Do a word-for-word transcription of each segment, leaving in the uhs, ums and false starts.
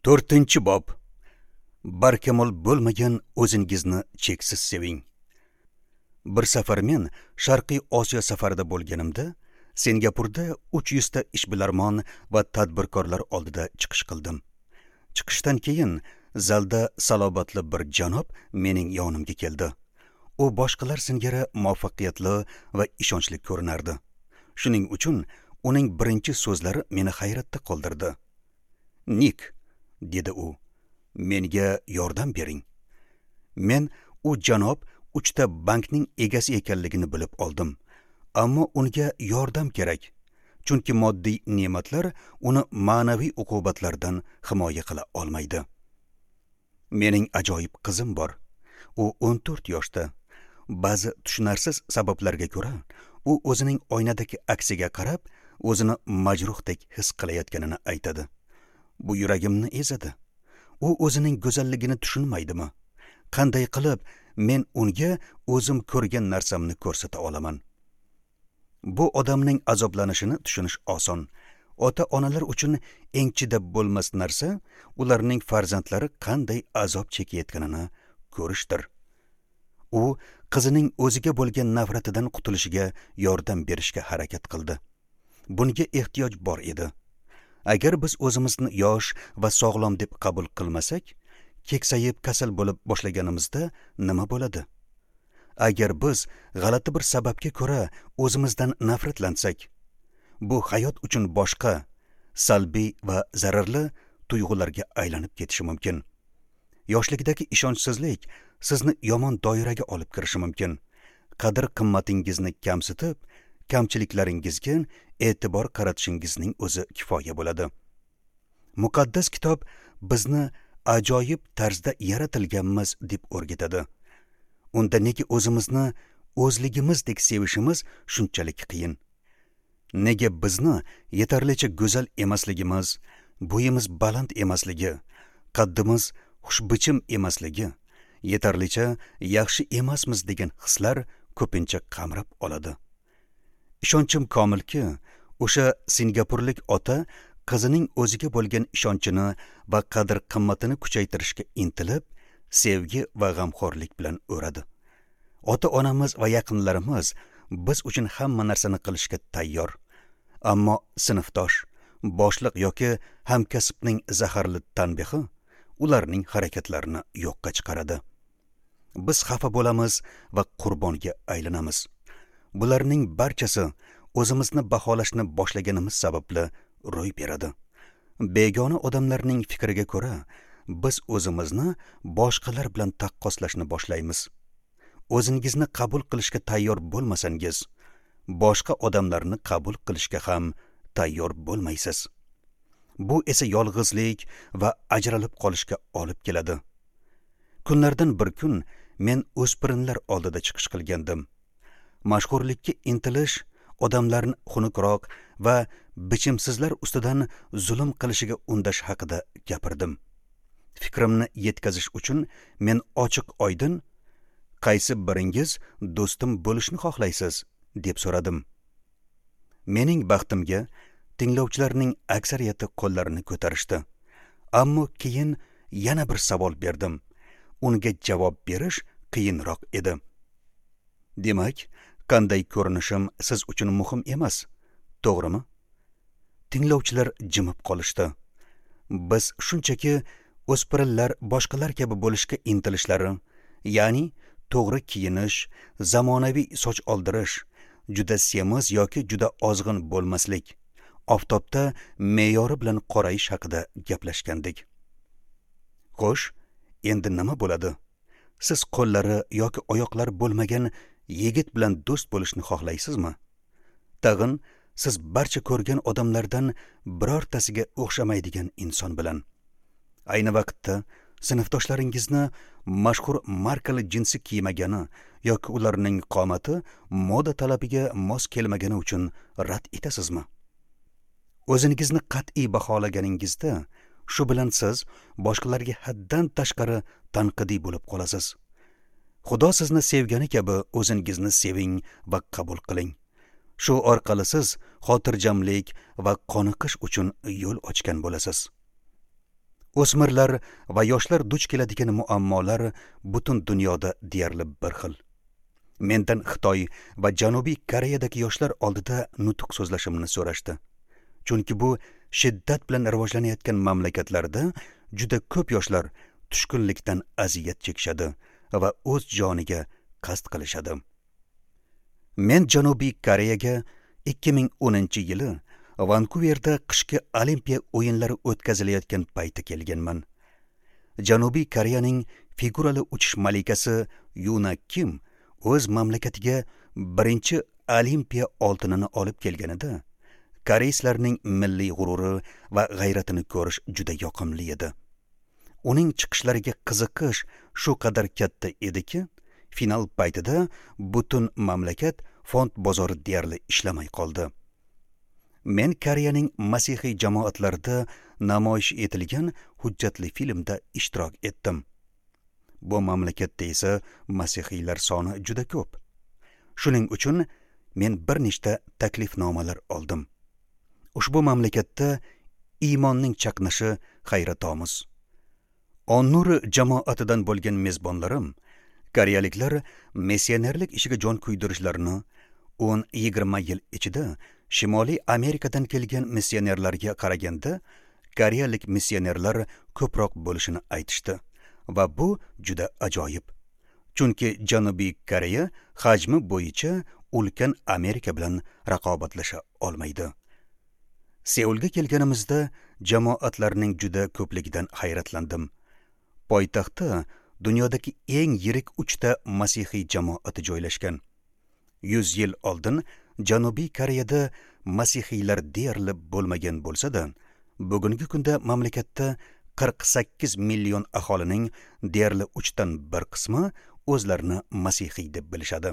To'rtinchi bob. Barkamol bo'lmagan o'zingizni cheksiz seving. Bir safar men Sharqiy Osiyo safarida bo'lganimda, Singapurda uch yuz ta ishbilarmon va tadbirkorlar oldida chiqish qildim. Chiqishdan keyin zalda salobatli bir janob mening yonimga keldi. U boshqalar singari muvaffaqiyatli va ishonchli ko'rinardi. Shuning uchun uning birinchi so'zlari meni hayratda qoldirdi. "Nik", dedi u, "menga yordam bering." Men u janob uchta bankning egasi ekanligini bilib oldim. Ammo unga yordam kerak, chunki moddiy ne'matlar uni ma'naviy uqubatlardan himoya qila olmaydi. Mening ajoyib qizim bor. U o'n to'rt yoshda. Ba'zi tushunarsiz sabablarga ko'ra, u o'zining oynadagi aksiga qarab, o'zini majruhdek his qilayotganini aytadi. Bu yuragimni ezadi. U o'zining go'zalligini tushunmaydimi? Qanday qilib men unga o'zim ko'rgan narsamni ko'rsata olaman? Bu odamning azoblanishini tushunish oson. Ota-onalar uchun eng chidab bo'lmas narsa ularning farzandlari qanday azob chekayotganini ko'rishdir. U qizining o'ziga bo'lgan nafratidan qutulishiga yordam berishga harakat qildi. Bunga ehtiyoj bor edi. Agar biz o'zimizni yosh va sog'lom deb qabul qilmasak, keksayib kasal bo'lib boshlaganimizda nima bo'ladi? Agar biz g'alati bir sababga ko'ra o'zimizdan nafratlansak, bu hayot uchun boshqa, salbiy va zararli tuyg'ularga aylanib ketishi mumkin. Yoshlikdagi ishonchsizlik sizni yomon doiraga olib kirishi mumkin. Qadr-qimmatingizni kamsitib, kamchiliklaringizga e'tibor qaratishingizning o'zi kifoya bo'ladi. Muqaddas kitob bizni ajoyib tarzda yaratilganmiz deb o'rgatadi. Unda nega o'zimizni o'zligimizdek sevishimiz shunchalik qiyin? Nega bizni yetarlicha go'zal emasligimiz, bo'yimiz baland emasligi, qaddimiz xushbichim emasligi, yetarlicha yaxshi emasmiz degan hislar ko'pincha qamrab oladi? Ishonchim komilki, o'sha singapurlik ota qizining o'ziga bo'lgan ishonchini va qadr-qimmatini kuchaytirishga intilib, sevgi va g'amxo'rlik bilan o'radi. Ota-onamiz va yaqinlarimiz biz uchun hamma narsani qilishga tayyor. Ammo sinfdosh, boshliq yoki hamkasbning zaharli tanbehi ularning harakatlarini yo'qqa chiqaradi. Biz xafa bo'lamiz va qurbonga aylanamiz. Bularning barchasi o'zimizni baholashni boshlaganimiz sababli ro'y beradi. Begona odamlarning fikriga ko'ra, biz o'zimizni boshqalar bilan taqqoslashni boshlaymiz. O'zingizni qabul qilishga tayyor bo'lmasangiz, boshqa odamlarni qabul qilishga ham tayyor bo'lmaysiz. Bu esa yolg'izlik va ajralib qolishga olib keladi. Kunlardan bir kun men o'spirinlar oldida chiqish qilgandim. Mashhurlikka intilish odamlarni xunukroq va bichimsizlar ustidan zulm qilishiga undash haqida gapirdim. Fikrimni yetkazish uchun men ochiq oydin, qaysi biringiz do'stim bo'lishni xohlaysiz, deb so'radim. Mening baxtimga tinglovchilarning aksariyati qo'llarini ko'tarishdi. Ammo keyin yana bir savol berdim. Unga javob berish qiyinroq edi. Demak, qanday ko'rinishim siz uchun muhim emas, to'g'rimi? Tinglovchilar jimib qolishdi. Biz shunchaki o'spirinlar boshqalar kabi bo'lishga intilishlari, ya'ni to'g'ri kiyinish, zamonaviy soch oldirish, juda semiz yoki juda ozg'in bo'lmaslik, oftobda me'yori bilan qorayish haqida gaplashgandik. Xo'sh, endi nima bo'ladi? Siz qo'llari yoki oyoqlari bo'lmagan yigit bilan do'st bo'lishni xohlaysizmi? Tag'in siz barcha ko'rgan odamlardan birortasiga o'xshamaydigan inson bilan. Ayni vaqtda sinfdoshlaringizni mashhur markali jinsi kiymagani yoki ularning qomati moda talabiga mos kelmagani uchun rad etasizmi? O'zingizni qat'iy baholaganingizda shu bilan siz boshqalarga haddan tashqari tanqidiy bo'lib qolasiz. Xudo sizni sevgani kabi o'zingizni seving va qabul qiling. Shu orqali siz xotirjamlik va qoniqish uchun yo'l ochgan bo'lasiz. O'smirlar va yoshlar duch keladigan muammolar butun dunyoda deyarli bir xil. Mendan Xitoy va Janubiy Koreyadagi yoshlar oldida nutq so'zlashimni so'rashdi. Chunki bu shiddat bilan rivojlanayotgan mamlakatlarda juda ko'p yoshlar tushkunlikdan aziyat chekishadi va o'z joniga qasd qilishadi. Men Janubiy Koreyaga ikki ming o'ninchi yili Vankuverda qishki Olimpiya o'yinlari o'tkazilayotgan payti kelganman. Janubiy Koreyaning figurali uchish malikasi Yuna Kim o'z mamlakatiga birinchi Olimpiya oltinini olib kelganida, koreyslarning milliy g'ururi va g'ayratini ko'rish juda yoqimli edi. Uning chiqishlariga qiziqish shu qadar katta ediki, final paytida butun mamlakat fond bozori deyarli ishlamay qoldi. Men Koreyaning masihiy jamoatlarida namoyish etilgan hujjatli filmda ishtirok etdim. Bu mamlakatda esa masihiylar soni juda ko'p. Shuning uchun men bir nechta taklifnomalar oldim. Ushbu mamlakatda iymonning chaqnashi hayratomuz. Onnur jamoatidan bo'lgan mezbonlarim koreyaliklar missionerlik ishiga jon kuydirishlarini o'n yigirma yil ichida Shimoliy Amerikadan kelgan missionerlarga qaraganda koreyalik missionerlar ko'proq bo'lishini aytishdi va bu juda ajoyib. Chunki Janubiy Koreya hajmi bo'yicha ulkan Amerika bilan raqobatlasha olmaydi. Seulga kelganimizda jamoatlarning juda ko'pligidan hayratlandim. Poytaxtda dunyodagi eng yirik uchta masihiy jamoati joylashgan. yuz yil oldin Janubiy Koreyada masihiylar deyarli bo'lmagan bo'lsa-da, bugungi kunda mamlakatda qirq sakkiz million aholining deyarli uchdan bir qismi o'zlarini masihiy deb bilishadi.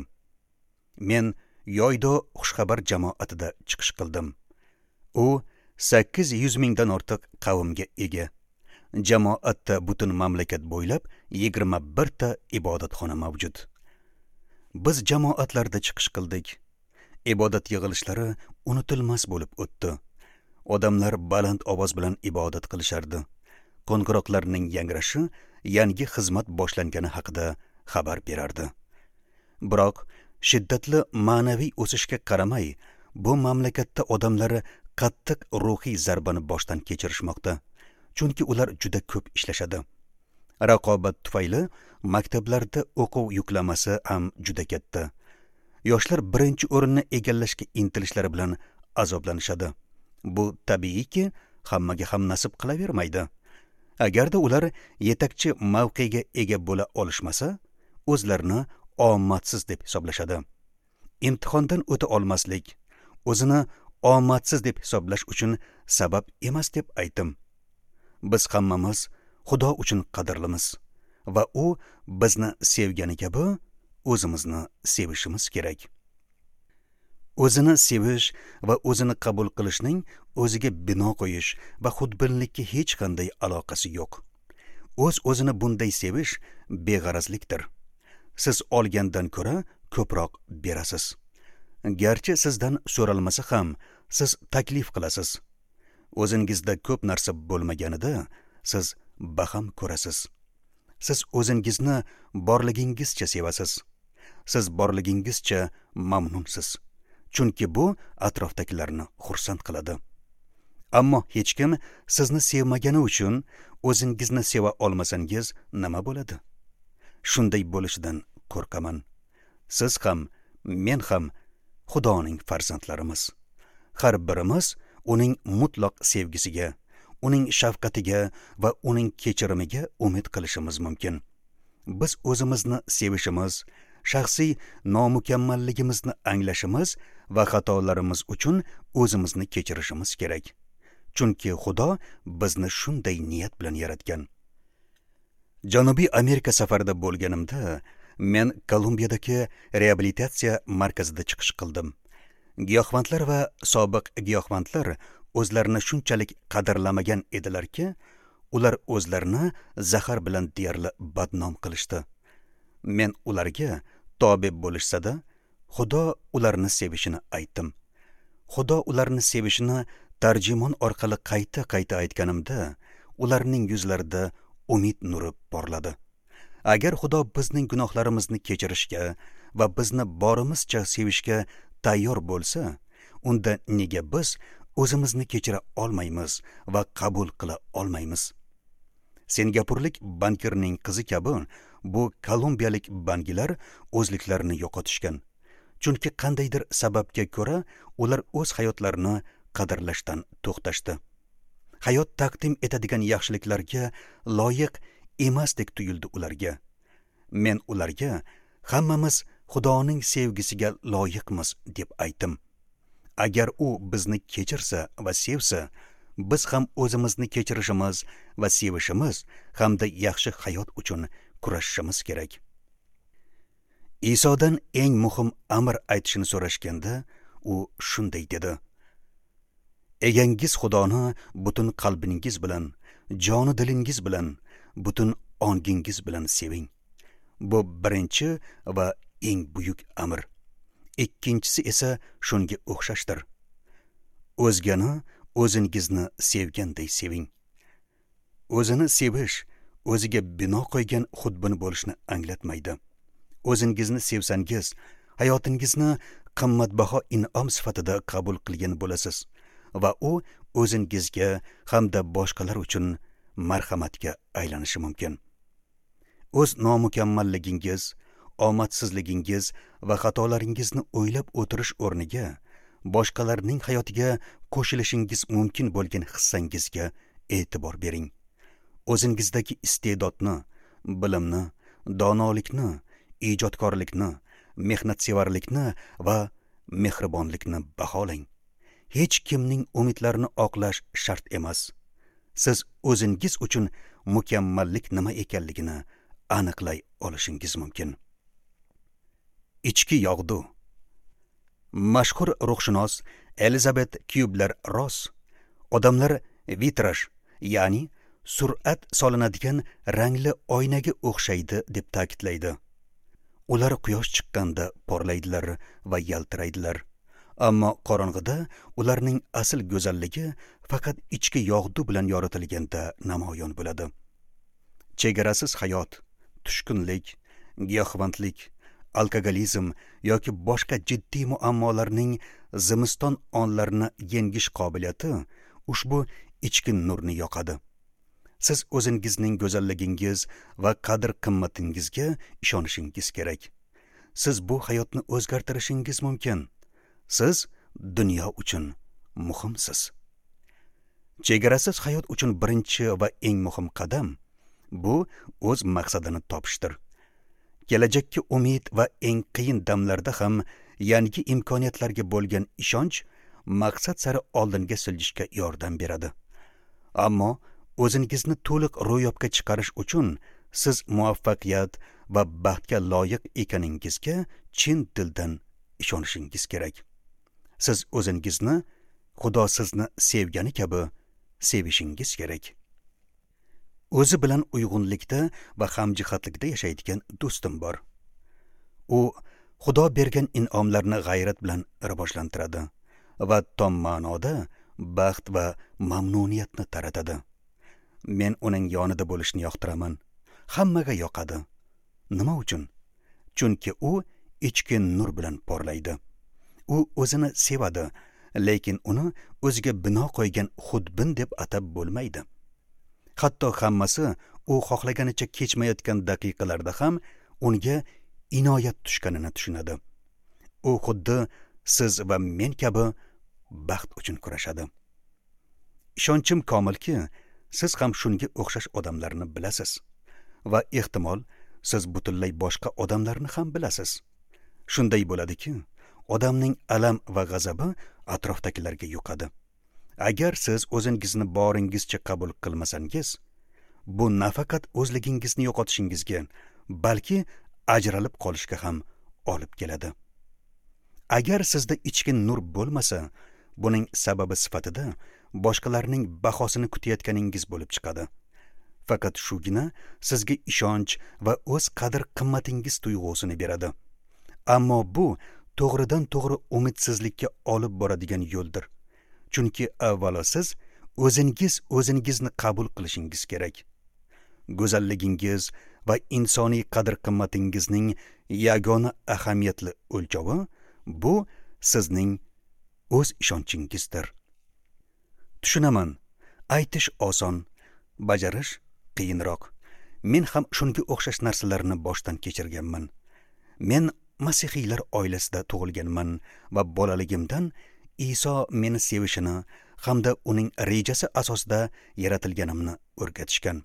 Men Yoydo xushxabar jamoatida chiqish qildim. U sakkiz yuz mingdan ortiq qavmga ega. Jamoatda butun mamlakat bo'ylab yigirma birta ibodatxona mavjud. Biz jamoatlarda chiqish qildik. Ibodat yig'ilishlari unutilmas bo'lib o'tdi. Odamlar baland ovoz bilan ibodat qilishardi. Qo'ng'iroqlarning yangrashi yangi xizmat boshlangani haqida xabar berardi. Biroq shiddatli ma'naviy o'sishga qaramay, bu mamlakatda odamlar qattiq ruhiy zarbani boshdan kechirishmoqda. Chunki ular juda ko'p ishlashadi. Raqobat tufayli maktablarda o'quv yuklamasi ham juda katta. Yoshlar birinchi o'rinni egallashga intilishlari bilan azoblanishadi. Bu tabiiyki, hammaga ham nasib qilavermaydi. Agarda ular yetakchi mavqega ega bo'la olishmasa, o'zlarini omadsiz deb hisoblashadi. Imtihondan o'ta olmaslik, o'zini omadsiz deb hisoblash uchun sabab emas deb aytdim. Biz hammamiz Xudo uchun qadrlimiz va u bizni sevgani kabi o'zimizni sevishimiz kerak. O'zini sevish va o'zini qabul qilishning o'ziga bino qo'yish va xudbinlikka hech qanday aloqasi yo'q. O'z-o'zini bunday sevish beg'arazlikdir. Siz olgandan ko'ra ko'proq berasiz. Garchi sizdan so'ralmasa ham siz taklif qilasiz. O'zingizda ko'p narsa bo'lmaganida siz baham ko'rasiz. Siz o'zingizni borligingizcha sevasiz. Siz borligingizcha mamnunsiz. Chunki bu atrofdagilarni xursand qiladi. Ammo hech kim sizni sevmagani uchun o'zingizni seva olmasangiz nima bo'ladi? Shunday bo'lishidan qo'rqaman. Siz ham, men ham Xudoning farzandlarimiz. Har birimiz uning mutlaq sevgisiga, uning shafqatiga va uning kechirimiga umid qilishimiz mumkin. Biz o'zimizni sevishimiz, shaxsiy nomukammalligimizni anglashimiz va xatolarimiz uchun o'zimizni kechirishimiz kerak. Chunki Xudo bizni shunday niyat bilan yaratgan. Janubiy Amerika safarida bo'lganimda men Kolumbiyadagi reabilitatsiya markazida chiqish qildim. Giyohvandlar va sobiq giyohvandlar o'zlarini shunchalik qadrlamagan edilarki, ular o'zlarini zahar bilan deyarli badnom qilishdi. Men ularga tobe bo'lishsa-da, Xudo ularni sevishini aytdim. Xudo ularni sevishini tarjimon orqali qayta-qayta aytganimda, ularning yuzlarida umid nuri porladi. Agar Xudo bizning gunohlarimizni kechirishga va bizni borimizcha sevishga tayyor bo'lsa, unda nega biz o'zimizni kechira olmaymiz va qabul qila olmaymiz? Singapurlik bankirning qizi kabi bu kolumbiyalik bankirlar o'zliklarini yo'qotishgan. Chunki qandaydir sababga ko'ra ular o'z hayotlarini qadrlashdan to'xtashdi. Hayot taqdim etadigan yaxshiliklarga loyiq emasdek tuyuldi ularga. Men ularga hammamiz Xudoning sevgisiga loyiqmiz deb aytdim. Agar u bizni kechirsa va sevsa, biz ham o'zimizni kechirishimiz va sevishimiz hamda yaxshi hayot uchun kurashishimiz kerak. Isodan eng muhim amr aytishini so'rashganda, u shunday dedi: Egangiz Xudoni butun qalbingiz bilan, joni dilingiz bilan, butun ongingiz bilan seving. Bu birinchi va eng buyuk amr. Ikkinchisi esa shunga o'xshashdir. O'zgani o'zingizni sevganday seving. O'zini sevish o'ziga bino qo'ygan xudbin bo'lishni anglatmaydi. O'zingizni sevsangiz, hayotingizni qimmatbaho in'om sifatida qabul qilgan bo'lasiz va u o'zingizga hamda boshqalar uchun marhamatga aylanishi mumkin. O'z nomukammalligingiz, omadsizligingiz va xatolaringizni o'ylab o'tirish o'rniga boshqalarning hayotiga qo'shilishingiz mumkin bo'lgan hissangizga e'tibor bering. O'zingizdagi iste'dodni, bilimni, donolikni, ijodkorlikni, mehnatsevarlikni va mehribonlikni baholang. Hech kimning umidlarini oqlash shart emas. Siz o'zingiz uchun mukammallik nima ekanligini aniqlay olishingiz mumkin. Ichki yog'du. Mashhur ruhshunos Elizabet Kyubler-Ross odamlar vitraj, ya'ni sur'at solinadigan rangli oynaga o'xshaydi deb ta'kidlaydi. Ular quyosh chiqqanda porlaydilar va yaltiraydilar. Ammo qorong'ida ularning asl go'zalligi faqat ichki yog'du bilan yoritilganda namoyon bo'ladi. Chegarasiz hayot, tushkunlik, giyohvandlik, alkogolizm yoki boshqa jiddiy muammolarning zimiston onlarini yengish qobiliyati ushbu ichki nurni yoqadi. Siz o'zingizning go'zalligingiz va qadr-qimmatingizga ishonishingiz kerak. Siz bu hayotni o'zgartirishingiz mumkin. Siz dunyo uchun muhimsiz. Chegarasiz hayot uchun birinchi va eng muhim qadam bu o'z maqsadini topishdir. Kelajakka umid va eng qiyin damlarda ham yangi imkoniyatlarga bo'lgan ishonch maqsad sari oldinga siljishga yordam beradi. Ammo o'zingizni to'liq ro'yobga chiqarish uchun siz muvaffaqiyat va baxtga loyiq ekaningizga chin dildan ishonishingiz kerak. Siz o'zingizni Xudo sizni sevgani kabi sevishingiz kerak. O'zi bilan uyg'unlikda va hamjihatlikda yashaydigan do'stim bor. U Xudo bergan in'omlarni g'ayrat bilan rivojlantiradi va tom ma'noda baxt va mamnuniyatni taratadi. Men uning yonida bo'lishni yoqtiraman. Hammaga yoqadi. Nima uchun? Chunki u ichki nur bilan porlaydi. U o'zini sevadi, lekin uni o'ziga bino qo'ygan xudbin deb atab bo'lmaydi. Hatto hammasi u xohlaganicha kechmayotgan daqiqalarda ham unga inoyat tushganini tushunadi. U xuddi siz va men kabi baxt uchun kurashadi. Ishonchim komilki, siz ham shunga o'xshash odamlarni bilasiz va ehtimol siz butunlay boshqa odamlarni ham bilasiz. Shunday bo'ladiki, odamning alam va g'azabi atrofdagilarga yuqadi. Agar siz o'zingizni boringizcha qabul qilmasangiz, bu nafaqat o'zligingizni yo'qotishingizga, balki ajralib qolishga ham olib keladi. Agar sizda ichki nur bo'lmasa, buning sababi sifatida boshqalarning bahosini kutayotganingiz bo'lib chiqadi. Faqat shugina sizga ishonch va o'z qadr-qimmatingiz tuyg'usini beradi. Ammo bu to'g'ridan to'g'ri umidsizlikka olib boradigan yo'ldir. Chunki avvalo siz o'zingiz o'zingizni qabul qilishingiz kerak. Go'zalligingiz va insoniy qadr-qimmatingizning yagona ahamiyatli o'lchovi bu sizning o'z ishonchingizdir. Tushunaman, aytish oson, bajarish qiyinroq. Men ham shunga o'xshash narsalarni boshdan kechirganman. Men masihiylar oilasida tug'ilganman va bolaligimdan Iso meni sevishini hamda uning rejasi asosida yaratilganimni o'rgatishgan.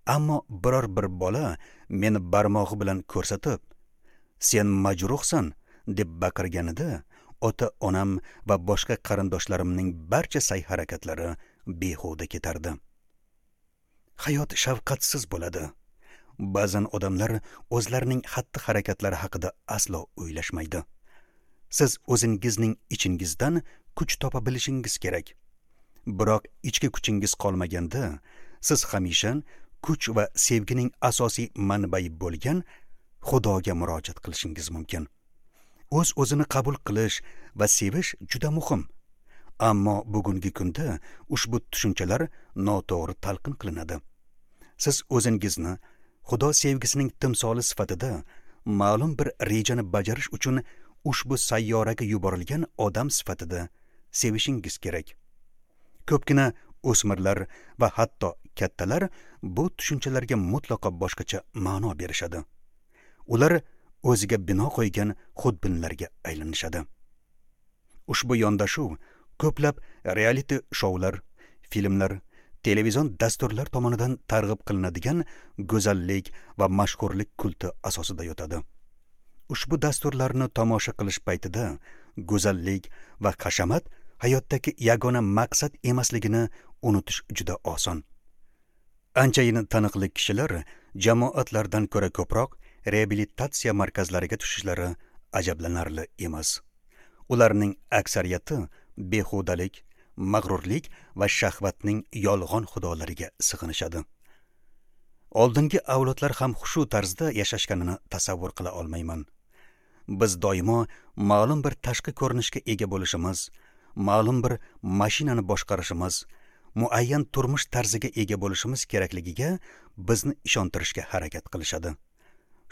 Ammo biror bir bola meni barmog'i bilan ko'rsatib, "Sen majruhsan" deb baqirganida, ota-onam va boshqa qarindoshlarimning barcha sa'y-harakatlari behuda ketardi. Hayot shafqatsiz bo'ladi. Ba'zan odamlar o'zlarining xatti-harakatlari haqida aslo o'ylashmaydi. Siz o'zingizning ichingizdan kuch topa bilishingiz kerak. Biroq ichki kuchingiz qolmaganda, siz hamisha kuch va sevgining asosiy manbai bo'lgan Xudoga murojaat qilishingiz mumkin. O'z-o'zini qabul qilish va sevish juda muhim. Ammo bugungi kunda ushbu tushunchalar noto'g'ri talqin qilinadi. Siz o'zingizni Xudo sevgisining timsoli sifatida ma'lum bir rejani bajarish uchun ushbu sayyoraga yuborilgan odam sifatida sevishingiz kerak. Ko'pgina o'smirlar va hatto kattalar bu tushunchalarga mutlaqo boshqacha ma'no berishadi. Ular o'ziga bino qo'ygan xudbinlarga aylanishadi. Ushbu yondashuv ko'plab reality shoular, filmlar, televizion dasturlar tomonidan targ'ib qilinadigan go'zallik va mashhurlik kulti asosida yotadi. Ushbu dasturlarni tomosha qilish paytida go'zallik va hashamat hayotdagi yagona maqsad emasligini unutish juda oson. Anchayin taniqli kishilar jamoatlardan ko'ra ko'proq reabilitatsiya markazlariga tushishlari ajablanarli emas. Ularning aksariyati behudalik, mag'rurlik va shahvatning yolg'on xudolariga sig'inishadi. Oldingi avlodlar ham shu tarzda yashashganini tasavvur qila olmayman. Biz doimo ma'lum bir tashqi ko'rinishga ega bo'lishimiz, ma'lum bir mashinani boshqarishimiz, muayyan turmush tarziga ega bo'lishimiz kerakligiga bizni ishontirishga harakat qilishadi.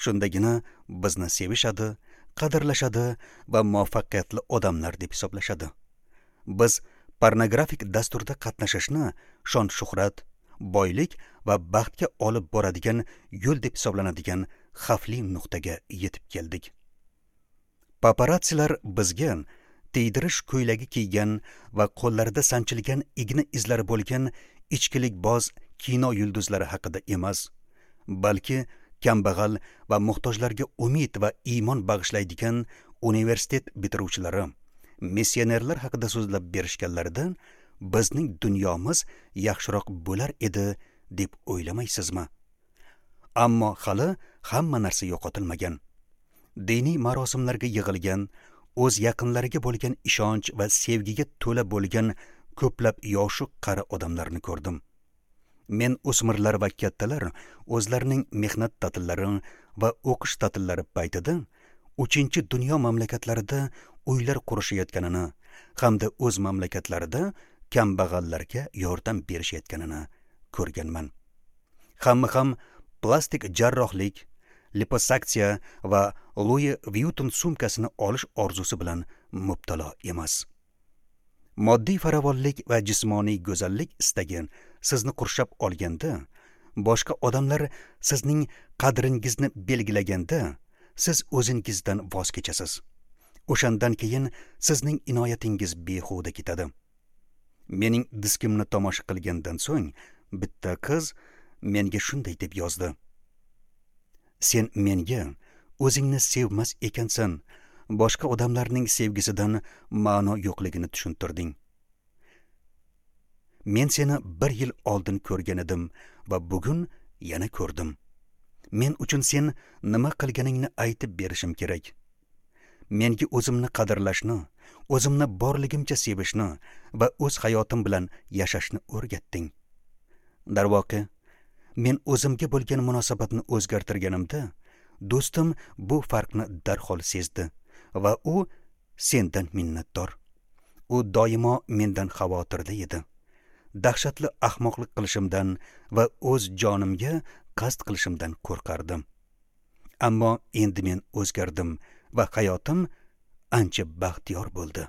Shundagina bizni sevishadi, qadrlashadi va muvaffaqiyatli odamlar deb hisoblashadi. Biz pornografik dasturda qatnashishni shon-shuhrat, boylik va baxtga olib boradigan yo'l deb hisoblanadigan xavfli nuqtaga yetib keldik. Paparatsilar bizga tiydirish ko'ylagi kiygan va qo'llarida sanchilgan igna izlari bo'lgan ichkilikboz kino yulduzlari haqida emas, balki kambag'al va muhtojlarga umid va iymon bag'ishlaydigan universitet bitiruvchilari, missionerlar haqida so'zlab berishganlarida bizning dunyomiz yaxshiroq bo'lar edi deb o'ylamaysizmi? Ammo hali hamma narsa yo'qotilmagan. Diniy marosimlarga yig'ilgan, o'z yaqinlariga bo'lgan ishonch va sevgiga to'la bo'lgan ko'plab yoshu qari odamlarni ko'rdim. Men o'smirlar va kattalar o'zlarining mehnat ta'tillari va o'qish ta'tillari paytida uchinchi dunyo mamlakatlarida uylar qurishayotganini hamda o'z mamlakatlarida kambag'allarga yordam berishayotganini ko'rganman. Hamma ham plastik jarrohlik, liposaksiya va Louis Vuitton sumkasini olish orzusi bilan mubtalo emas. Moddiy farovonlik va jismoniy go'zallik istagi sizni qurshab olganda, boshqa odamlar sizning qadringizni belgilaganda, siz o'zingizdan voz kechasiz. O'shandan keyin sizning inoyatingiz behuda ketadi. Mening diskimni tomosha qilgandan so'ng bitta qiz menga shunday deb yozdi: "Sen menga o'zingni sevmas ekansan, boshqa odamlarning sevgisidan ma'no yo'qligini tushuntirding. Men seni bir yil oldin ko'rgan edim va bugun yana ko'rdim. Men uchun sen nima qilganingni aytib berishim kerak. Menga o'zimni qadrlashni, o'zimni borligimcha sevishni va o'z hayotim bilan yashashni o'rgatding. Darvoqe, men o'zimga bo'lgan munosabatni o'zgartirganimda, do'stim bu farqni darhol sezdi va u sendan minnatdor. U doimo mendan xavotirda edi. dahshatli ahmoqlik qilishimdan va o'z jonimga qasd qilishimdan qo'rqardim. Ammo endi men o'zgardim va hayotim ancha baxtiyor bo'ldi.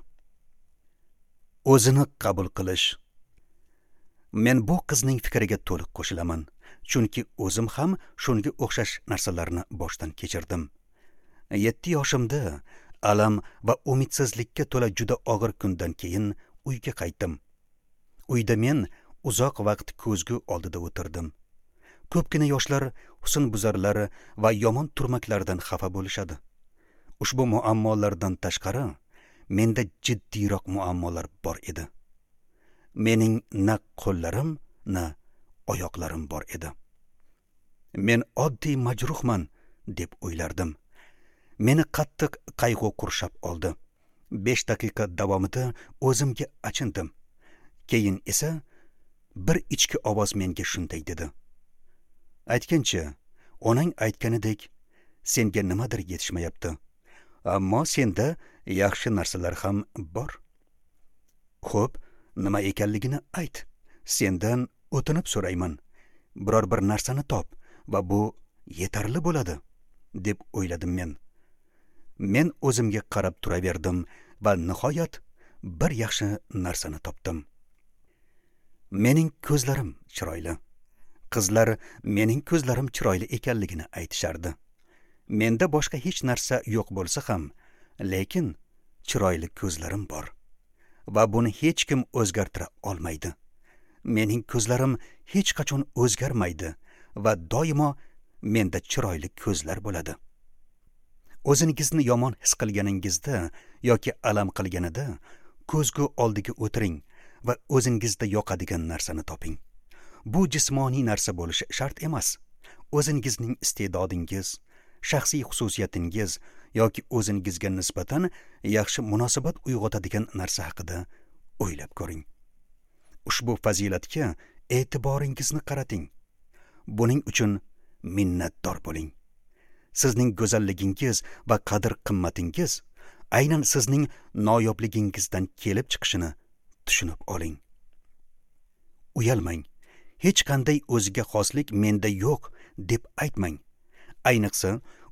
O'zini qabul qilish. Men bu qizning fikriga to'liq qo'shilaman, chunki o'zim ham shunga o'xshash narsalarni boshdan kechirdim. Yetti yoshimda alam va umidsizlikka to'la juda og'ir kundan keyin uyga qaytdim. Uyda men uzoq vaqt ko'zgu oldida o'tirdim. Ko'pgina yoshlar husnbuzarlar va yomon turmaklardan xafa bo'lishadi. Ushbu muammolardan tashqari menda jiddiyroq muammolar bor edi. Mening na qo'llarim, na oyoqlarim bor edi. Men oddiy majruhman deb o'ylardim. Meni qattiq qayg'u qurshab oldi. Besh daqiqa davomida o'zimga achindim. Keyin esa bir ichki ovoz menga shunday dedi: Aytgancha, onang aytganidek, senga nimadir yetishmayapti. Ammo senda yaxshi narsalar ham bor. Xo'p, nima ekanligini ayt. Sendan o'tinib so'rayman. Biror bir narsani top va bu yetarli bo'ladi, deb o'yladim men. Men o'zimga qarab turaverdim va nihoyat bir yaxshi narsani topdim. Mening ko'zlarim chiroyli. Qizlar mening ko'zlarim chiroyli ekanligini aytishardi. Menda boshqa hech narsa yo'q bo'lsa ham, lekin chiroyli ko'zlarim bor. Va buni hech kim o'zgartira olmaydi. Mening ko'zlarim hech qachon o'zgarmaydi va doimo menda chiroyli ko'zlar bo'ladi. O'zingizni yomon his qilganingizda yoki alam qilganida ko'zgu oldiga o'tiring va o'zingizda yoqadigan narsani toping. Bu jismoniy narsa bo'lishi shart emas. O'zingizning iste'dodingiz, shaxsiy xususiyatingiz yoki o'zingizga nisbatan yaxshi munosabat uyg'otadigan narsa haqida o'ylab ko'ring. Ushbu fazilatga e'tiboringizni qarating. Buning uchun minnatdor bo'ling. Sizning go'zalligingiz va qadr-qimmatingiz aynan sizning noyobligingizdan kelib chiqishini tushunib oling. Uyalmang. Hech qanday o'ziga xoslik menda yo'q deb aytmang. Ayniqsa,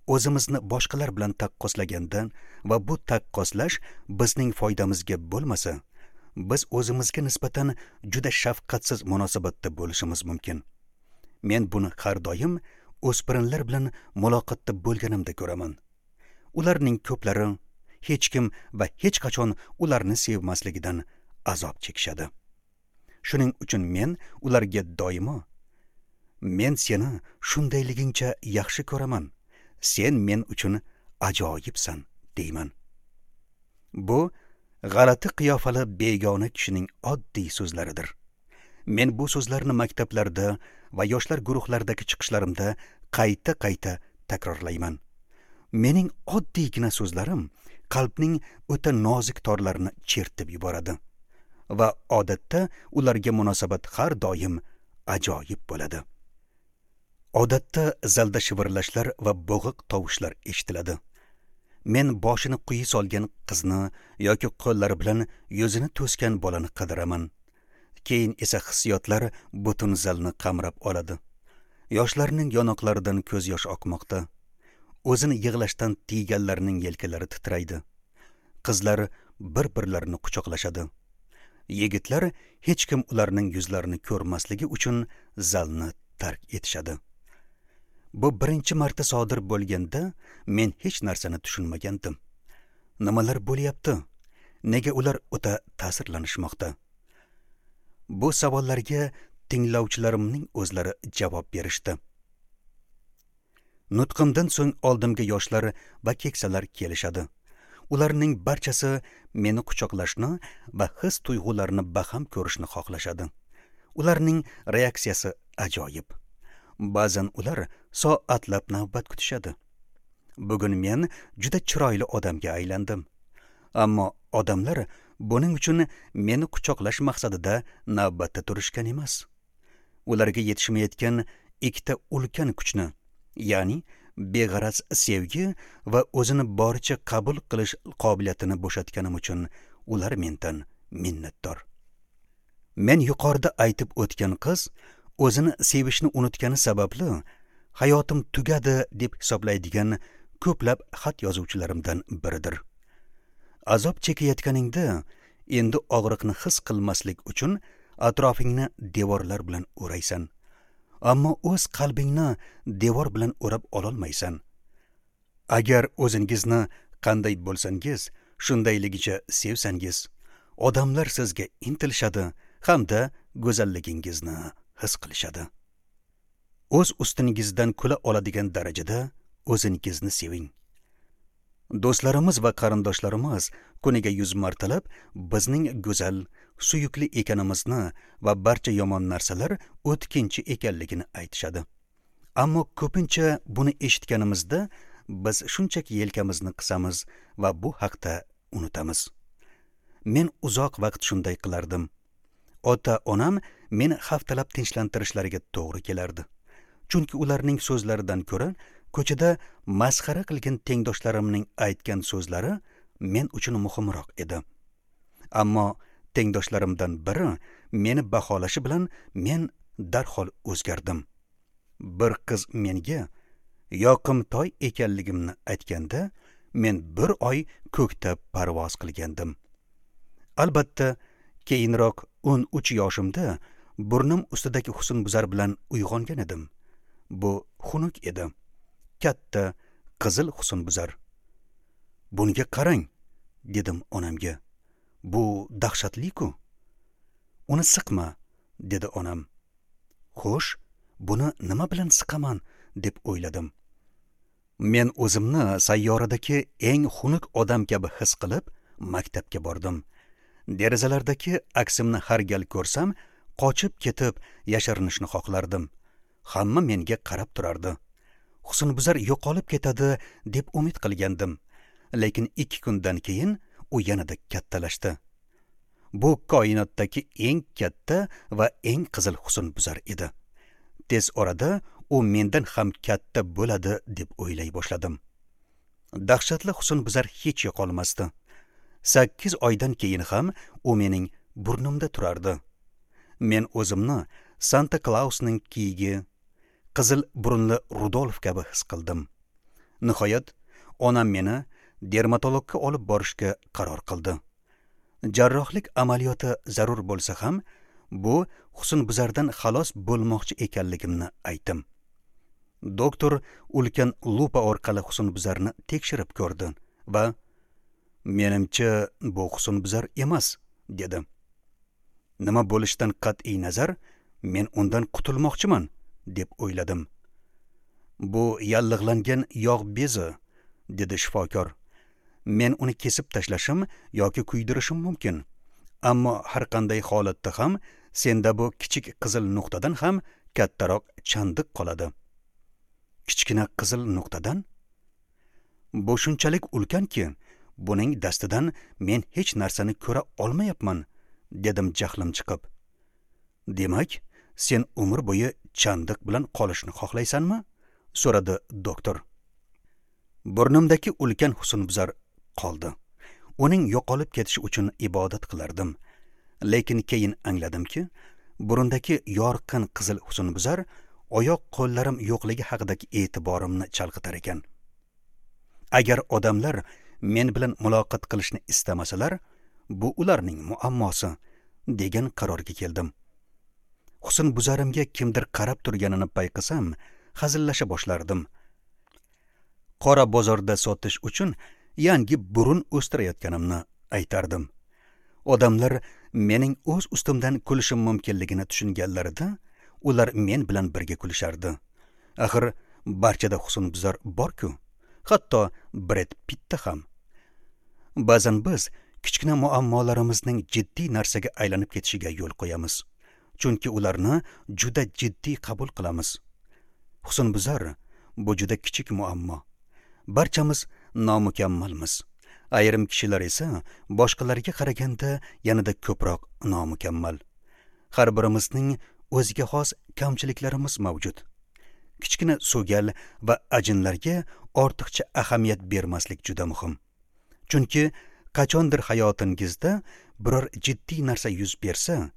o'zimizni boshqalar bilan taqqoslaganda va bu taqqoslash bizning foydamizga bo'lmasa, biz o'zimizga nisbatan juda shafqatsiz munosabatda bo'lishimiz mumkin. Men buni har doim o'spirinlar bilan muloqotda bo'lganimda ko'raman. Ularning ko'plari hech kim va hech qachon ularni sevmasligidan azob chekishadi. Shuning uchun men ularga doimo: Men seni shundayligingcha yaxshi ko'raman. Sen men uchun ajoyibsan, deyman. Bu g'alati qiyofali begona kishining oddiy so'zlaridir. Men bu so'zlarni maktablarda va yoshlar guruhlaridagi chiqishlarimda qayta-qayta takrorlayman. Mening oddiygina so'zlarim qalbning o'ta nozik torlarini chertib yuboradi va odatda ularga munosabat har doim ajoyib bo'ladi. Odatda zalda shivirlashlar va bo'g'iq tovushlar eshitiladi. Men boshini quyi solgan qizni yoki qo'llari bilan yuzini to'sgan bolani qidiraman. Keyin esa hissiyotlar butun zalni qamrab oladi. Yoshlarning yonoqlaridan ko'z yosh oqmoqda. O'zini yig'lashdan tiyganlarning yelkalari titraydi. Qizlar bir-birlarini quchoqlashadi. Yigitlar hech kim ularning yuzlarini ko'rmasligi uchun zalni tark etishadi. Bu birinchi marta sodir bo'lganda men hech narsani tushunmagandim. Nimalar bo'lyapti? Nega ular o'ta ta'sirlanishmoqda? Bu savollarga tinglovchilarimning o'zlari javob berishdi. Nutqimdan so'ng oldimga yoshlar va keksalar kelishadi. Ularning barchasi meni quchoqlashni va his tuyg'ularini baham ko'rishni xohlashadi. Ularning reaksiyasi ajoyib. Ba'zan ular soatlab navbat kutishadi. Bugun men juda chiroyli odamga aylandim. Ammo odamlar buning uchun meni quchoqlash maqsadida navbatda turishgan emas. Ularga yetishmayotgan ikkita ulkan kuchni, ya'ni beg'araz sevgi va o'zini boricha qabul qilish qobiliyatini bo'shatganim uchun ular mendan minnatdor. Men yuqorida aytib o'tgan qiz o'zini sevishni unutgani sababli hayotim tugadi deb hisoblaydigan ko'plab xat yozuvchilarimdan biridir. Azob chekayotganingda endi og'riqni his qilmaslik uchun atrofingni devorlar bilan o'raysan. Ammo o'z qalbingni devor bilan o'rab ololmaysan. Agar o'zingizni qanday bo'lsangiz, shundayligicha sevsangiz, odamlar sizga intilishadi hamda go'zalligingizni his qilishadi. O'z ustingizdan kula oladigan darajada o'zingizni seving. Do'stlarimiz va qarindoshlarimiz kuniga yuz martalab bizning go'zal, suyukli ekanimizni va barcha yomon narsalar o'tkinchi ekanligini aytishadi. Ammo ko'pincha buni eshitganimizda biz shunchaki yelkamizni qisamiz va bu haqda unutamiz. Men uzoq vaqt shunday qilardim. Ota-onam meni haftalab tinchlantirishlariga to'g'ri kelardi. Chunki ularning so'zlaridan ko'ra ko'chada masxara qilgan tengdoshlarimning aytgan so'zlari men uchun muhimroq edi. Ammo tengdoshlarimdan biri meni baholashi bilan men darhol o'zgardim. Bir qiz menga yoqimtoy ekanligimni aytganda, men bir oy ko'kda parvoz qilgandim. Albatta, keyinroq o'n uch yoshimda burnim ustidagi husnbuzar bilan uyg'ongan edim. Bu xunuk edi. Katta qizil husnbuzar. Bunga qarang, dedim onamga. Bu dahshatli-ku. Uni siqma, dedi onam. Xo'sh, buni nima bilan siqaman, deb o'yladim. Men o'zimni sayyoradagi eng xunuk odam kabi his qilib, maktabga bordim. Derazalardagi aksimni har gal ko'rsam, qochib ketib yashirinishni xohlardim. Hamma menga qarab turardi. Husnbuzar yo'qolib ketadi deb umid qilgandim. Lekin ikki kundan keyin u yanada kattalashdi. Bu koinotdagi eng katta va eng qizil husnbuzar edi. Tez orada u mendan ham katta bo'ladi deb o'ylay boshladim. Dahshatli husnbuzar hech yo'qolmasdi. Sakkiz oydan keyin ham u mening burnimda turardi. Men o'zimni Santa Clausning kiyigi, qizil burunli Rudolf kabi his qildim. Nihoyat, onam meni dermatologga olib borishga qaror qildi. Jarrohlik amaliyoti zarur bo'lsa ham, bu husnbuzardan xalos bo'lmoqchi ekanligimni aytdim. Doktor ulkan lupa orqali husnbuzarni tekshirib ko'rdi va menimcha bu husnbuzar emas, dedi. Nima bo'lishidan qat'iy nazar, men undan qutulmoqchiman, deb o'yladim. Bu yallig'langan yog' bezi, dedi shifokor. Men uni kesib tashlashim yoki kuydirishim mumkin. Ammo har qanday holatda ham senda bu kichik qizil nuqtadan ham kattaroq chandiq qoladi. Kichkina qizil nuqtadan? Bu shunchalik ulkanki, buning dastidan men hech narsani ko'ra olmayapman, dedim jahlim chiqib. Demak, sen umr bo'yi chandiq bilan qolishni xohlaysanmi? So'radi doktor. Burnimdagi ulkan husnbuzar qoldi. Uning yo'qolib ketishi uchun ibodat qilardim. Lekin keyin angladimki, burundagi yorqin qizil husnbuzar oyoq qo'llarim yo'qligi haqidagi e'tiborimni chalg'itar ekan. Agar odamlar men bilan muloqot qilishni istamasalar, bu ularning muammosi degan qarorga keldim. Husnbuzarimga kimdir qarab turganini payqasam, hazillasha boshlardim. Qora bozorda sotish uchun yangi burun o'stirayotganimni aytardim. Odamlar mening o'z ustimdan kulishim mumkinligini tushunganlarida, ular men bilan birga kulishardi. Axir barchada husnbuzar bor-ku, hatto Bred Pittda ham. Ba'zan biz kichkina muammolarimizning jiddiy narsaga aylanib ketishiga yo'l qo'yamiz, chunki ularni juda jiddiy qabul qilamiz. Husnbuzar bu juda kichik muammo. Barchamiz nomukammalmiz. Ayrim kishilar esa boshqalarga qaraganda yanada ko'proq nomukammal. Har birimizning o'ziga xos kamchiliklarimiz mavjud. Kichkina so'gal va ajinlarga ortiqcha ahamiyat bermaslik juda muhim. Chunki qachondir hayotingizda biror jiddiy narsa yuz bersa,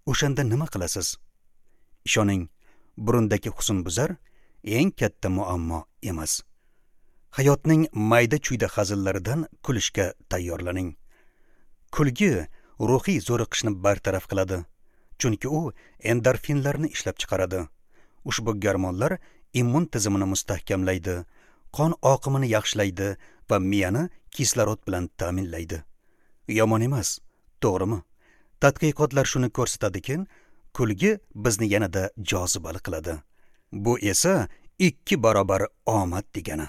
O'shanda nima qilasiz? Ishoning, burundagi husnbuzar eng katta muammo emas. Hayotning mayda-chuyda hazillaridan kulishga tayyorlaning. Kulgi ruhiy zo'riqishni bartaraf qiladi, chunki u endorfinlarni ishlab chiqaradi. Ushbu gormonlar immun tizimini mustahkamlaydi, qon oqimini yaxshilaydi va miyani kislorod bilan ta'minlaydi. Yomon emas, to'g'rimi? Tadqiqotlar shuni ko'rsatadiki, kulgi bizni yanada jozibali qiladi. Bu esa ikki barobar omad degani.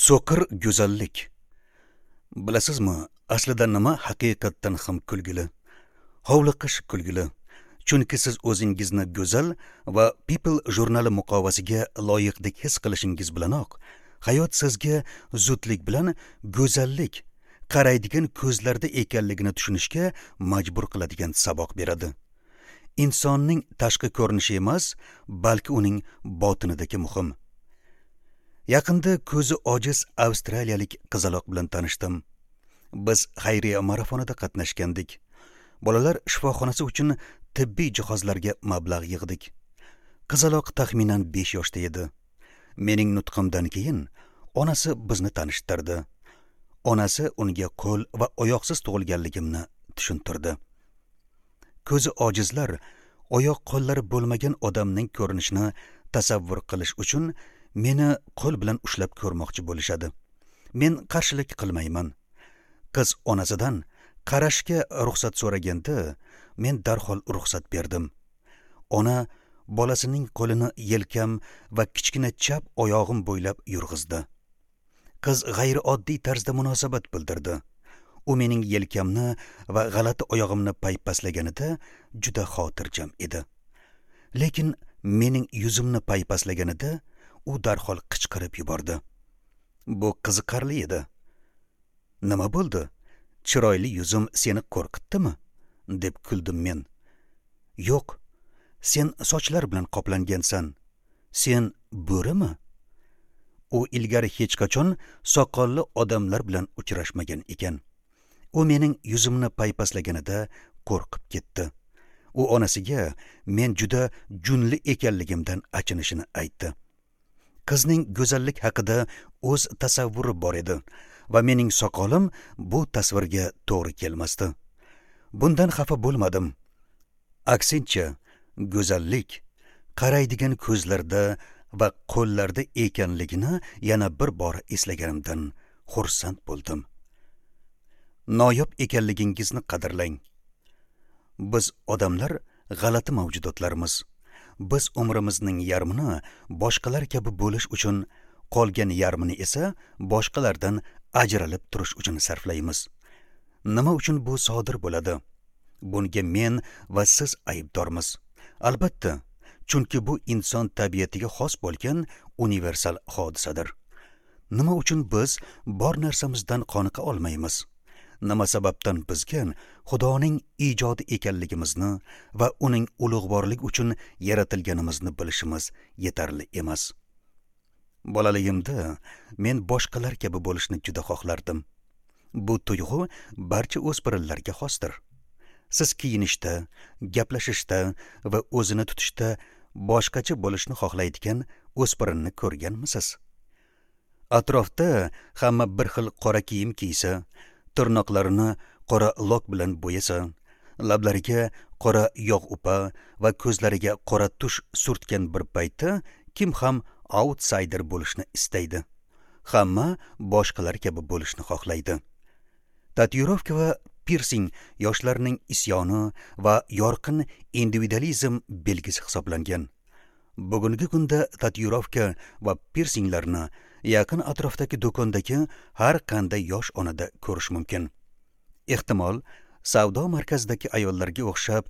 So'qir go'zallik. Bilasizmi, aslida nima haqiqatdan ham kulgili? Hovliqish kulgili. Chunki siz o'zingizni go'zal va People jurnali muqovasiga loyiqdek his qilishingiz bilanoq, hayot sizga zudlik bilan go'zallik qaraydigan ko'zlarda ekanligini tushunishga majbur qiladigan saboq beradi. Insonning tashqi ko'rinishi emas, balki uning botinidagi muhim. Yaqinda ko'zi ojiz avstraliyalik qizaloq bilan tanishdim. Biz xayriya marafonida qatnashgandik. Bolalar shifoxonasi uchun tibbiy jihozlarga mablag' yig'dik. Qizaloq taxminan besh yoshda edi. Mening nutqimdan keyin onasi bizni tanishtirdi. Onasi unga qo'l va oyoqsiz tug'ilganligimni tushuntirdi. Ko'zi ojizlar oyoq qo'llari bo'lmagan odamning ko'rinishini tasavvur qilish uchun meni qo'l bilan ushlab ko'rmoqchi bo'lishadi. Men qarshilik qilmayman. Qiz onasidan qarashga ruxsat so'raganda men darhol ruxsat berdim. Ona bolasining qo'lini yelkam va kichkina chap oyog'im bo'ylab yurg'izdi. Qiz g'ayrioddiy tarzda munosabat bildirdi. U mening yelkamni va g'alati oyog'imni paypaslaganida juda xotirjam edi. Lekin mening yuzimni paypaslaganida u darhol qichqirib yubordi. Bu qiziqarli edi. Nima bo'ldi? Chiroyli yuzim seni qo'rqitdimi? Deb kuldim men. Yo'q, sen sochlar bilan qoplangansan. Sen bo'rimi? U ilgari hech qachon soqolli odamlar bilan uchrashmagan ekan. U mening yuzimni paypaslaganida qo'rqib ketdi. U onasiga men juda junli ekanligimdan achinishini aytdi. Qizning go'zallik haqida o'z tasavvuri bor edi va mening soqolim bu tasvirga to'g'ri kelmasdi. Bundan xafa bo'lmadim. Aksincha, go'zallik qaraydigan ko'zlarda va qo'llarda ekanligini yana bir bor eslaganimdan xursand bo'ldim. Noyob ekanligingizni qadrlang. Biz odamlar g'alati mavjudotlarmiz. Biz umrimizning yarmini boshqalar kabi bo'lish uchun, qolgan yarmini esa boshqalardan ajralib turish uchun sarflaymiz. Nima uchun bu sodir bo'ladi? Bunga men va siz aybdormiz. Albatta, chunki bu inson tabiatiga xos bo'lgan universal hodisadir. Nima uchun biz bor narsamizdan qoniqa olmaymiz? Nima sababdan bizga Xudoning ijodi ekanligimizni va uning ulug'vorligi uchun yaratilganimizni bilishimiz yetarli emas? Bolaligimda men boshqalar kabi bo'lishni juda xohlardim. Bu tuyg'u barcha o'spirinlarga xosdir. Siz kiyinishda, gaplashishda va o'zini tutishda boshqacha bo'lishni xohlaydigan o'spirinni ko'rganmisiz? Atrofda hamma bir xil qora kiyim kiysa, tirnoqlarini qora lok bilan bo'yasa, lablariga qora yog' upa va ko'zlariga qora tush surtgan bir paytda kim ham outsider bo'lishni istaydi? Hamma boshqalar kabi bo'lishni xohlaydi. Tatuirovka va pirsing yoshlarning isyoni va yorqin individualizm belgisi hisoblangan. Bugungi kunda tatuirovka va pirsinglarni yaqin atrofdagi do'kondagi har qanday yosh onada ko'rish mumkin. Ehtimol, savdo markazidagi ayollarga o'xshab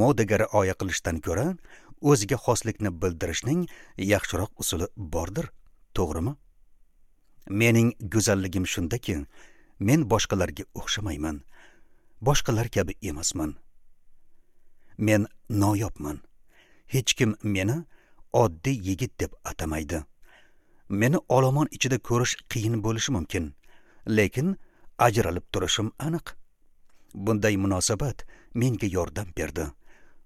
modaga rioya qilishdan ko'ra o'ziga xoslikni bildirishning yaxshiroq usuli bordir, to'g'rimi? Mening go'zalligim shundaki, men boshqalarga o'xshamayman. Boshqalar kabi emasman. Men noyobman. Hech kim meni oddiy yigit deb atamaydi. Meni olomon ichida ko'rish qiyin bo'lishi mumkin, lekin ajralib turishim aniq. Bunday munosabat menga yordam berdi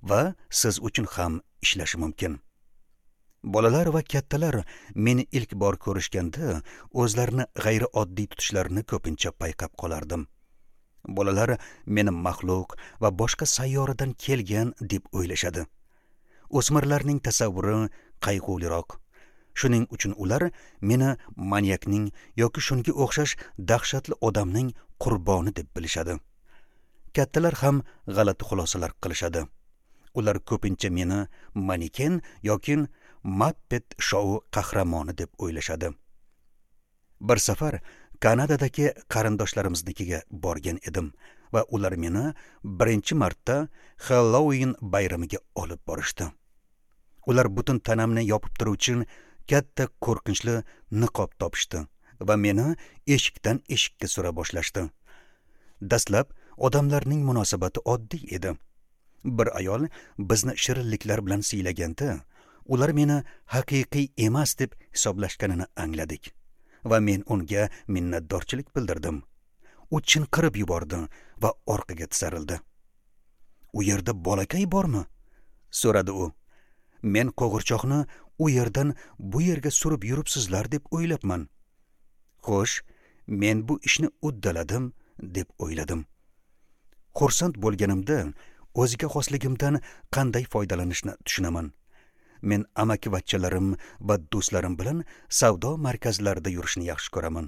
va siz uchun ham ishlashi mumkin. Bolalar va kattalar meni ilk bor ko'rishganda o'zlarini g'ayrioddiy tutishlarini ko'pincha payqab qolardim. Bolalar meni maxluq va boshqa sayyoradan kelgan deb o'ylashadi. O'smirlarning tasavvuri qayg'uliroq. Shuning uchun ular meni manyakning yoki shunga o'xshash dahshatli odamning qurboni deb bilishadi. Kattalar ham g'alati xulosalar qilishadi. Ular ko'pincha meni maneken yoki Muppet shou qahramoni deb o'ylashadi. Bir safar Kanadadagi qarindoshlarımiznikiga borgan edim va ular meni birinchi marta Halloween bayramiga olib borishdi. Ular butun tanamni yopib turuvchi katta qo'rqinchli niqob topishdi va meni eshikdan eshikka sura boshlashdi. Dastlab odamlarning munosabati oddiy edi. Bir ayol bizni shirinliklar bilan siylaganda, ular meni haqiqiy emas deb hisoblashganini angladik va men unga minnatdorchilik bildirdim. U chinqirib yubordi va orqaga tisarildi. "U yerda bolakay bormi?" so'radi u. "Men qo'g'irchoqni u yerdan bu yerga surib yuribsizlar deb o'ylabman." Xo'sh, men bu ishni uddaladim deb o'yladim. Xursand bo'lganimda o'ziga xosligimdan qanday foydalanishni tushunaman. Men amakivachchalarim va do'stlarim bilan savdo markazlarida yurishni yaxshi ko'raman.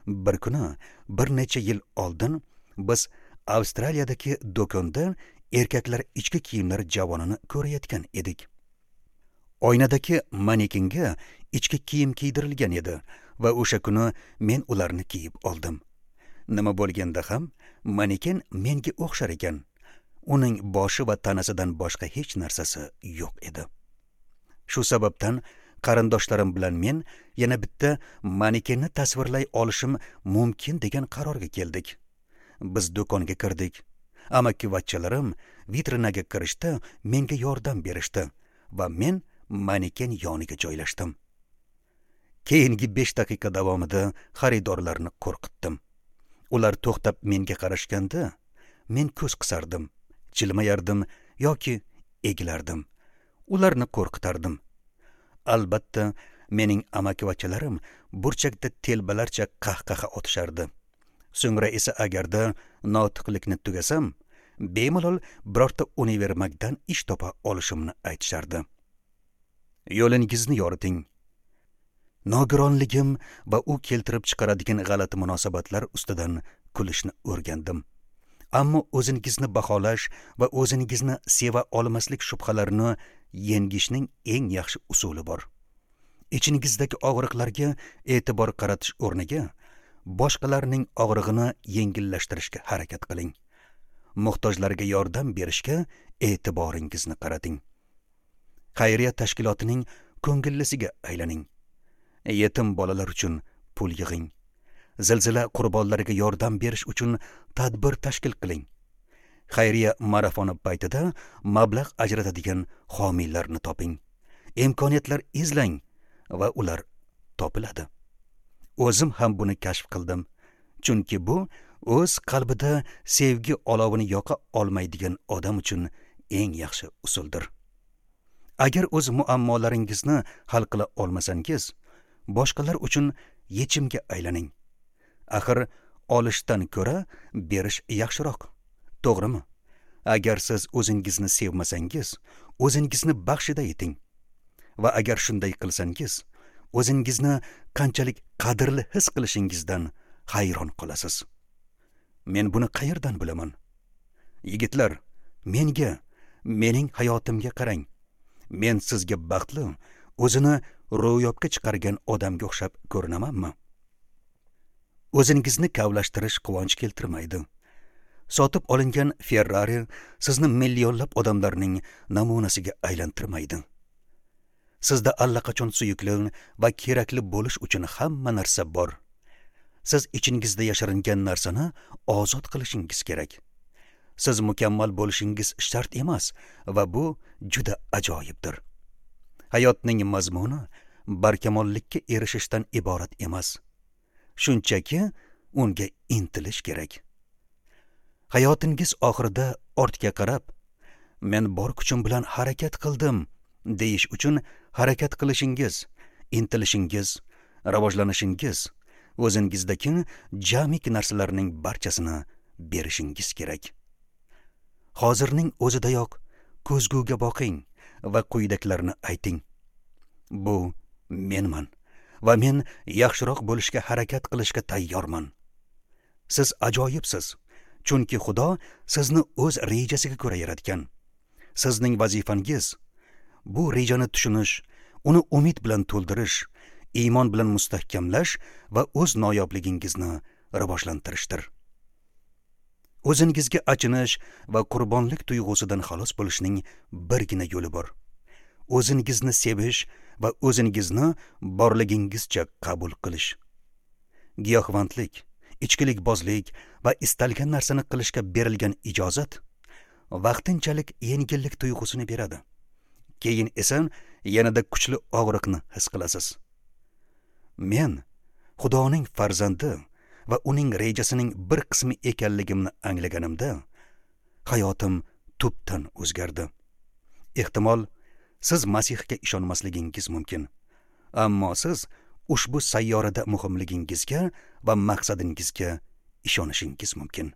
Bir kuni, bir necha yil oldin biz Avstraliyadagi do'konda erkaklar ichki kiyimlar javonini ko'rayotgan edik. Oynadagi manekenga ichki kiyim kiydirilgan edi va o'sha kuni men ularni kiyib oldim. Nima bo'lganda ham maneken menga o'xshar ekan. Uning boshi va tanasidan boshqa hech narsasi yo'q edi. Shu sababdan qarindoshlarim bilan men yana bitta manekenni tasvirlay olishim mumkin degan qarorga keldik. Biz do'konga kirdik. Amakivachchalarim vitrinaga kirishda menga yordam berishdi va men maneken yoniga joylashdim. Keyingi besh daqiqa davomida xaridorlarni qo'rqitdim. Ular to'xtab menga qarashganda, men ko'z qisardim, jilmayardim yoki egilardim. Ularni qo'rqitardim. Albatta, mening amakivachchalarim burchakda telbalarcha qahqaha otishardi. So'ngra esa agarda notiqlikni tugasam, bemalol birorta univermagdan ish topa olishimni aytishardi. Yo'lingizni yoriting. Nogironligim va u keltirib chiqaradigan g'alati munosabatlar ustidan kulishni o'rgandim. Ammo o'zingizni baholash va o'zingizni seva olmaslik shubhalarini yengishning eng yaxshi usuli bor. Ichingizdagi og'riqlarga e'tibor qaratish o'rniga boshqalarning og'rig'ini yengillashtirishga harakat qiling. Muhtojlarga yordam berishga e'tiboringizni qarating. Xayriya tashkilotining ko'ngillisiga aylaning. Yetim bolalar uchun pul yig'ing. Zilzila qurbonlariga yordam berish uchun tadbir tashkil qiling. Xayriya marafoni paytida mablag' ajratadigan homiylarni toping. Imkoniyatlar izlang va ular topiladi. O'zim ham buni kashf qildim. Chunki bu o'z qalbida sevgi olovini yoqa olmaydigan odam uchun eng yaxshi usuldir. Agar o'z muammolaringizni hal qila olmasangiz, boshqalar uchun yechimga aylaning. Axir olishdan ko'ra berish yaxshiroq. To'g'rimi? Agar siz o'zingizni sevmasangiz, o'zingizni baxshida eting. Va agar shunday qilsangiz, o'zingizni qanchalik qadrli his qilishingizdan hayron qolasiz. Men buni qayerdan bilaman? Yigitlar, menga, mening hayotimga qarang. Men sizga baxtli, o'zini ro'yobga chiqargan odamga o'xshab ko'rinamanmi? O'zingizni kavlashtirish quvonch keltirmaydi. Sotib olingan Ferrari sizni millionlab odamlarning namunasiga aylantirmaydi. Sizda allaqachon suyukli va kerakli bo'lish uchun hamma narsa bor. Siz ichingizda yashiringan narsani ozod qilishingiz kerak. Siz mukammal bo'lishingiz shart emas va bu juda ajoyibdir. Hayotning mazmuni barkamollikka erishishdan iborat emas. Shunchaki unga intilish kerak. Hayotingiz oxirida ortga qarab, men bor kuchim bilan harakat qildim deyish uchun harakat qilishingiz, intilishingiz, rivojlanishingiz, o'zingizdagi jamiki narsalarning barchasini berishingiz kerak. Hozirning o'zidayoq ko'zguga boqing va quyidagilarni ayting. Bu menman va men yaxshiroq bo'lishga harakat qilishga tayyorman. Siz ajoyibsiz, chunki Xudo sizni o'z rejasiga ko'ra yaratgan. Sizning vazifangiz bu rejani tushunish, uni umid bilan to'ldirish, iymon bilan mustahkamlash va o'z noyobligingizni rivojlantirishdir. O'zingizga achinish va qurbonlik tuyg'usidan xalos bo'lishning birgina yo'li bor. O'zingizni sevish va o'zingizni borligingizcha qabul qilish. Giyohvandlik, ichkilikbozlik va istalgan narsani qilishga berilgan ijozat vaqtinchalik yengillik tuyg'usini beradi. Keyin esa yanada kuchli og'riqni his qilasiz. Men Xudoning farzandi va uning rejasining bir qismi ekanligimni anglaganimda hayotim tubdan o'zgardi. Ehtimol siz Masihga ishonmasligingiz mumkin, ammo siz ushbu sayyorada muhimligingizga va maqsadingizga ishonishingiz mumkin.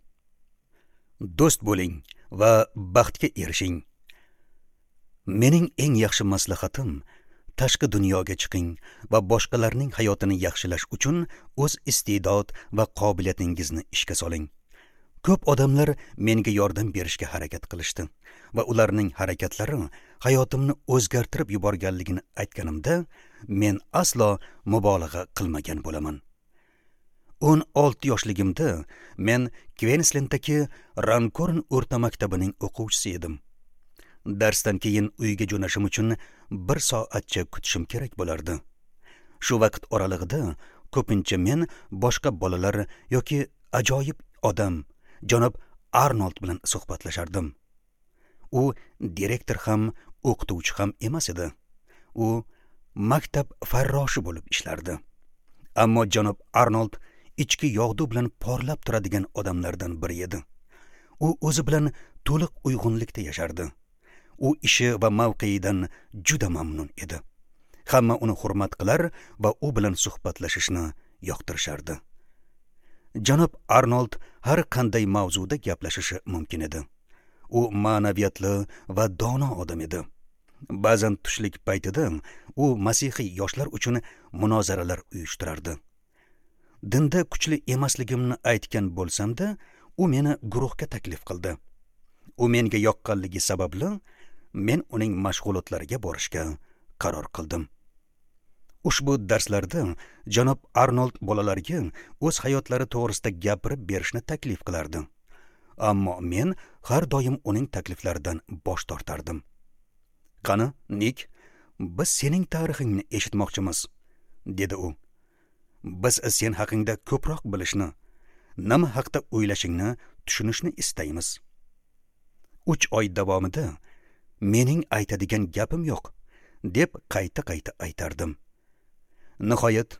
Do'st bo'ling va baxtga erishing. Mening eng yaxshi maslahatim tashqi dunyoga chiqing va boshqalarning hayotini yaxshilash uchun o'z iste'dod va qobiliyatingizni ishga soling. Ko'p odamlar menga yordam berishga harakat qilishdi va ularning harakatlari hayotimni o'zgartirib yuborganligini aytganimda men aslo mubolag'a qilmagan bo'laman. o'n olti yoshligimda men Kvenslendagi Rankorn o'rta maktabining o'quvchisi edim. Darsdan keyin uyga jo'nashim uchun bir soatcha kutishim kerak bo'lardi. Shu vaqt oralig'ida ko'pincha men boshqa bolalar yoki ajoyib odam janob Arnold bilan suhbatlashardim. U direktor ham, o'qituvchi ham emas edi. U maktab farroshi bo'lib ishlardi. Ammo janob Arnold ichki yog'du bilan porlab turadigan odamlardan biri edi. U o'zi bilan to'liq uyg'unlikda yashardi. U ishi va mavqeidan juda mamnun edi. Hamma uni hurmat qilar va u bilan suhbatlashishni yoqtirishardi. Janob Arnold har qanday mavzuda gaplashishi mumkin edi. U ma'naviyatli va dono odam edi. Ba'zan tushlik paytida u masihiy yoshlar uchun munozaralar uyushtirardi. Dinda kuchli emasligimni aytgan bo'lsam-da, u meni guruhga taklif qildi. U menga yoqqanligi sababli men uning mashg'ulotlariga borishga qaror qildim. Ushbu darslarda janob Arnold bolalarga o'z hayotlari to'g'risida gapirib berishni taklif qilardi. Ammo men har doim uning takliflaridan bosh tortardim. "Qani, Nik, biz sening tarixingni eshitmoqchimiz", dedi u. "Biz sen haqingda ko'proq bilishni, nima haqda o'ylashingni tushunishni istaymiz." Uch oy davomida mening aytadigan gapim yo'q, deb qayta-qayta aytardim. Nihoyat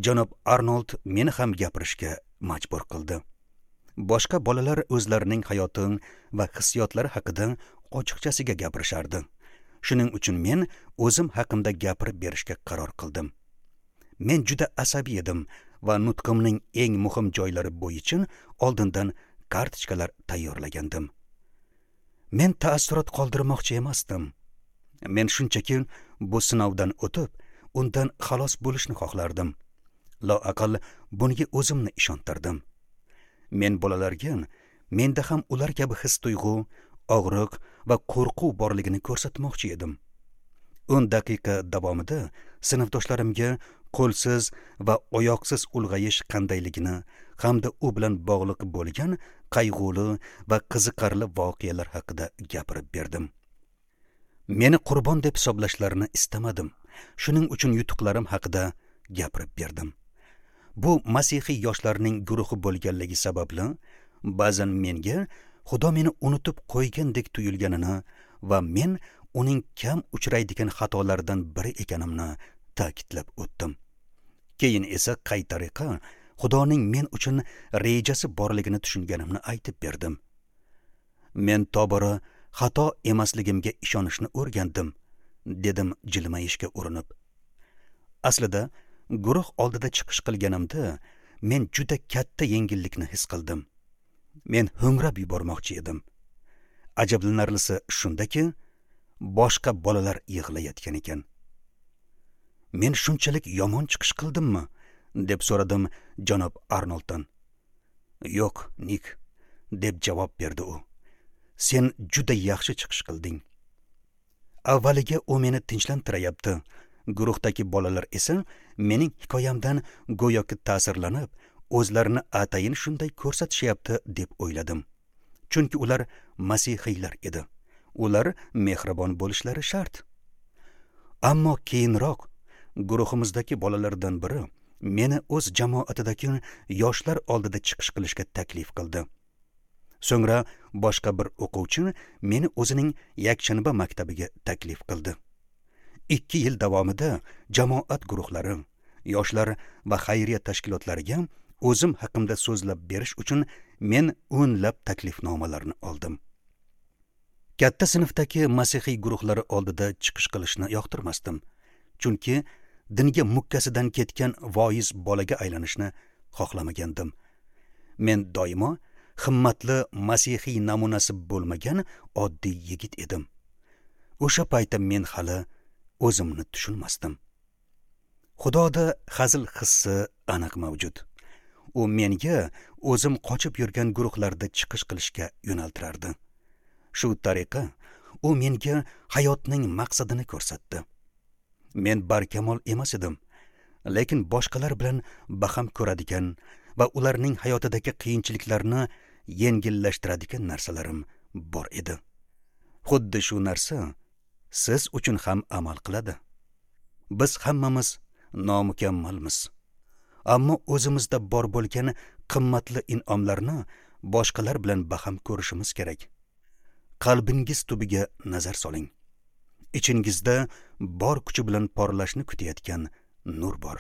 janob Arnold meni ham gapirishga majbur qildi. Boshqa bolalar o'zlarining hayoti va hissiyotlari haqida ochiqchasiga gapirishardi. Shuning uchun men o'zim haqimda gapirib berishga qaror qildim. Men juda asabiy edim va nutqimning eng muhim joylari bo'yicha oldindan kartochkalar tayyorlagandim. Men taassurot qoldirmoqchi emasdim. Men shunchaki bu sinovdan o'tib, undan xalos bo'lishni xohlardim. Loaqal bunga o'zimni ishontirdim. Men bolalarga menda ham ular kabi his-tuyg'u, og'riq va qo'rquv borligini ko'rsatmoqchi edim. o'n daqiqa davomida sinfdoshlarimga qo'lsiz va oyoqsiz ulg'ayish qandayligini hamda u bilan bog'liq bo'lgan qayg'uli va qiziqarli voqealar haqida gapirib berdim. Meni qurbon deb hisoblashlarini istamadim. Shuning uchun yutuqlarim haqida gapirib berdim. Bu masihiy yoshlarning guruhi bo'lganligi sababli ba'zan menga Xudo meni unutib qo'ygandek tuyulganini va men uning kam uchraydigan xatolaridan biri ekanimni ta'kidlab o'tdim. Keyin esa qay tariqa Xudoning men uchun rejasi borligini tushunganimni aytib berdim. Men tobora xato emasligimga ishonishni o'rgandim, dedim jilmayishga urinib. Aslida guruh oldida chiqish qilganimda men juda katta yengillikni his qildim. Men ho'ngrab yubormoqchi edim. Ajablanarlisi shundaki, boshqa bolalar yig'layotgan ekan. Men shunchalik yomon chiqish qildimmi? Deb so'radim janob Arnolddan. Yo'q, Nik, deb javob berdi u. Sen juda yaxshi chiqish qilding. Avvaliga u meni tinchlantirayapti. Guruhdagi bolalar esa mening hikoyamdan go'yoki ta'sirlanib, o'zlarini atayin shunday ko'rsatishyapti deb o'yladim. Chunki ular masihiylar edi. Ular mehribon bo'lishlari shart. Ammo keyinroq guruhimizdagi bolalardan biri meni o'z jamoatidagi yoshlar oldida chiqish qilishga taklif qildi. So'ngra boshqa bir o'quvchi meni o'zining yakshanba maktabiga taklif qildi. Ikki yil davomida jamoat guruhlari, yoshlar va xayriya tashkilotlariga o'zim haqimda so'zlab berish uchun men o'nlab taklifnomalarni oldim. Katta sinfdagi masihiy guruhlari oldida chiqish qilishni yoqtirmasdim, chunki dinga mukkasidan ketgan voiz bolaga aylanishni xohlamagandim. Men doimo himmatli masihiy namunasi bo'lmagan oddiy yigit edim. O'sha paytda men hali o'zimni tushunmasdim. Xudoda hazil hissi aniq mavjud. U menga o'zim qochib yurgan guruhlarda chiqish qilishga yo'naltirardi. Shu tariqa u menga hayotning maqsadini ko'rsatdi. Men barkamol emas edim, lekin boshqalar bilan baham ko'radigan va ularning hayotidagi qiyinchiliklarni yengillashtiradigan narsalarim bor edi. Xuddi shu narsa siz uchun ham amal qiladi. Biz hammamiz nomukammalmiz. Ammo o'zimizda bor bo'lgan qimmatli in'omlarni boshqalar bilan baham ko'rishimiz kerak. Qalbingiz tubiga nazar soling. Ichingizda bor kuchi bilan porlashni kutayotgan nur bor.